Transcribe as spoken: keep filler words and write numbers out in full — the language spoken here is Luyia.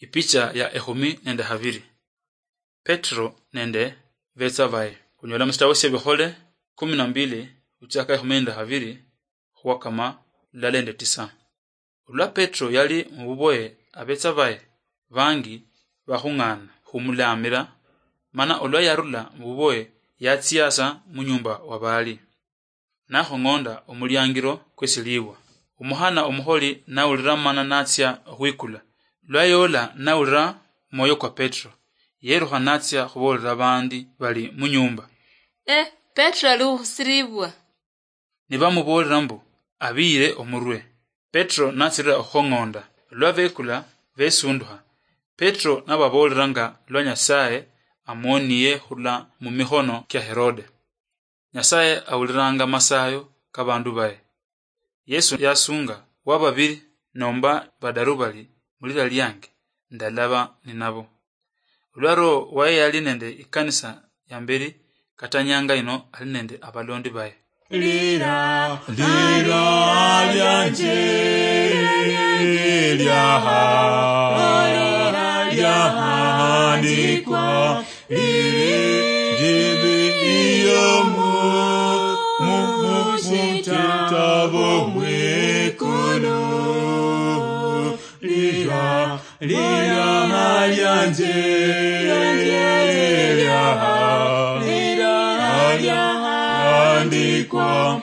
Ipicha ya ekhumi nende habiri. Petro nende betsa baye. Khunyola musitawo sya Bikhole kumi na mbili, khuchaka ekhumi nende habiri khuwakama lulala nende tisa. Olwa Petro yali mububoye, abetsa baye bangi bakhung'ana khumulamira, mana olwa yarula mububoye, yatsiasa munyumba wa baali. Nakhong'onda omuliangiro kwesiliibwa. Omukhana omukholi nawulira mana natsia okhwikula. Lwa yoola nawulira mwoyo kwa Petro, yerukha natsia khuboolera baandi bali munyumba. Eh, Petro ali okhusiliibwa. Nibamuboolera mbu abiyire omurwe. Petro natsirira okhukhong'onda. Lwa bekula, besundukha. Petro nababoolera nga lwa Nyasaye amuoniye khurula mumikhono kia Herode. Nyasaye awuliranga masayo kabandu baye. Yesu yasunga, "Wababiri nomba badaru bali mulira liange, ndalaba ninabo." Olwa Roho waye yali nende ikanisa yamberi, kata nyanga ino ali nende abalondi baye. Lira, lira lianje, lyaha, lyahandikwa, liri njibi iyo mu, mu, mu, mu kitabo mwikulu. Lira, lira lianje, lyaha, lyahandikwa,